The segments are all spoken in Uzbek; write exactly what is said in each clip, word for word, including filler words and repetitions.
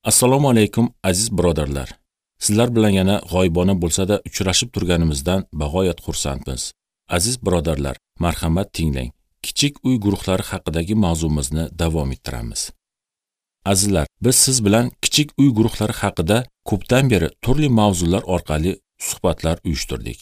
Assalomu alaykum aziz birodarlar. Sizlar bilan yana g'oyibona bo'lsa-da uchrashib turganimizdan bag'oyat xursandmiz. Aziz birodarlar, marhamat tinglang. Kichik uy guruhlari haqidagi mavzumizni davom ettiramiz. Azizlar, biz siz bilan kichik uy guruhlari haqida ko'pdan beri turli mavzular orqali suhbatlar uyushtirdik.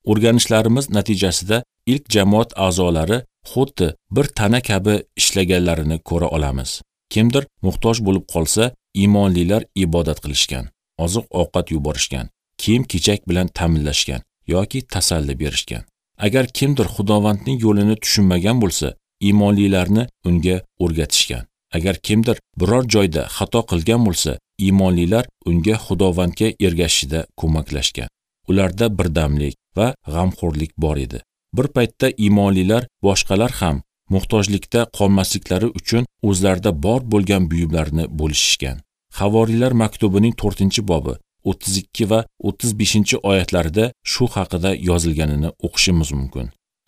O'rganishlarimiz natijasida ilk jamoat a'zolari xuddi bir tana kabi ishlaganlarini ko'ra olamiz. Kimdir muhtoj bo'lib qolsa, iymonlilar ibodat qilishgan, oziq-ovqat yuborishgan, kiyim-kechak bilan ta'minlashgan yoki tasalli berishgan. Agar kimdir Xudovandning yo'lini tushunmagan bo'lsa, iymonlilarni unga o'rgatishgan. Agar kimdir biror joyda xato qilgan bo'lsa, iymonlilar unga Xudovandga ergashishda ko'maklashgan. Ularda birdamlik va g'amxo'rlik bor edi. Bir paytda iymonlilar boshqalar ham muhtojlikda qolmasliklari uchun o'zlarida bor bo'lgan buyumlarni bo'lishishgan. Havoriylar maktubining to'rtinchi bobi o'ttiz ikki va o'ttiz beshinchi oyatlarida shu haqida yozilganini o'qishimiz mumkin.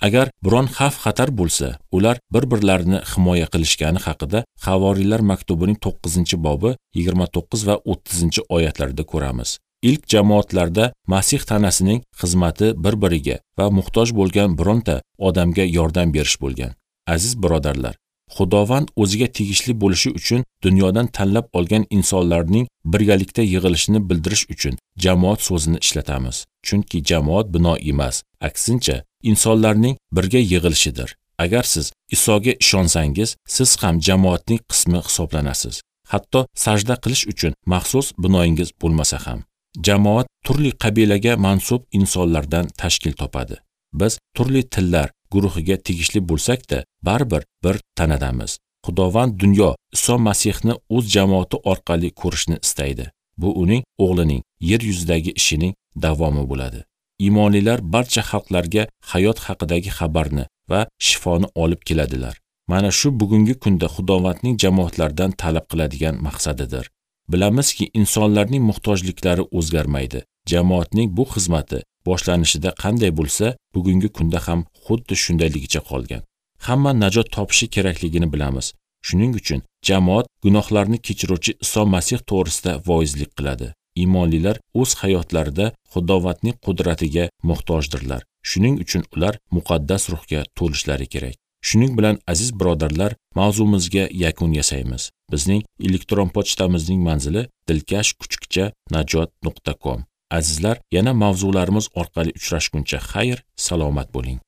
Agar biron xavf-xatar bo'lsa, ular bir-birlarini himoya qilishgani haqida Havoriylar maktubining to'qqizinchi bobi yigirma to'qqiz va o'ttizinchi oyatlarida ko'ramiz. Ilk jamoatlarda Masih tanasining xizmati bir-biriga va muhtoj bo'lgan bironta odamga yordam berish bo'lgan. Aziz birodarlar, Xudovand o'ziga tegishli bo'lishi uchun dunyodan tanlab olgan insonlarning birgalikda yig'ilishini bildirish uchun jamoat so'zini ishlatamiz. Chunki jamoat bino emas, aksincha insonlarning birga yig'ilishidir. Agar siz Isoga ishonsangiz, siz ham jamoatning qismi hisoblanasiz. Hatto sajda qilish uchun maxsus binoingiz bo'lmasa ham. Jamoat turli qabilaga mansub insonlardan tashkil topadi. Biz turli tillar guruhiga tegishli bo'lsak-da, baribir bir tanadamiz. Xudovand dunyo Iso Masihni o'z jamoati orqali ko'rishni istaydi. Bu uning o'g'lining yer yuzidagi ishining davomi bo'ladi. Iymonlilar barcha xalqlarga hayot haqidagi xabarni va shifoni olib keladilar. Mana shu bugungi kunda Xudovandning jamoatlardan talab qiladigan maqsadidir. Bilamizki, insonlarning muhtojliklari o'zgarmaydi. Jamoatning bu xizmati boshlanishida qanday bo'lsa, bugungi kunda ham xuddi shundayligicha qolgan. Hamma najot topishi kerakligini bilamiz. Shuning uchun jamoat gunohlarni kechiruvchi Iso Masih to'g'risida voizlik qiladi. Iymonlilar o'z hayotlarida Xudovandning qudratiga muhtojdirlar. Shuning uchun ular muqaddas ruhga to'lishlari kerak. Shuning bilan aziz birodarlar, mavzumizga yakun yasaymiz. Bizning elektron pochtamizning manzili dilkash kuchukcha najot nuqta com. Azizlar, yana mavzularimiz orqali uchrashguncha xayr, salomat bo'ling.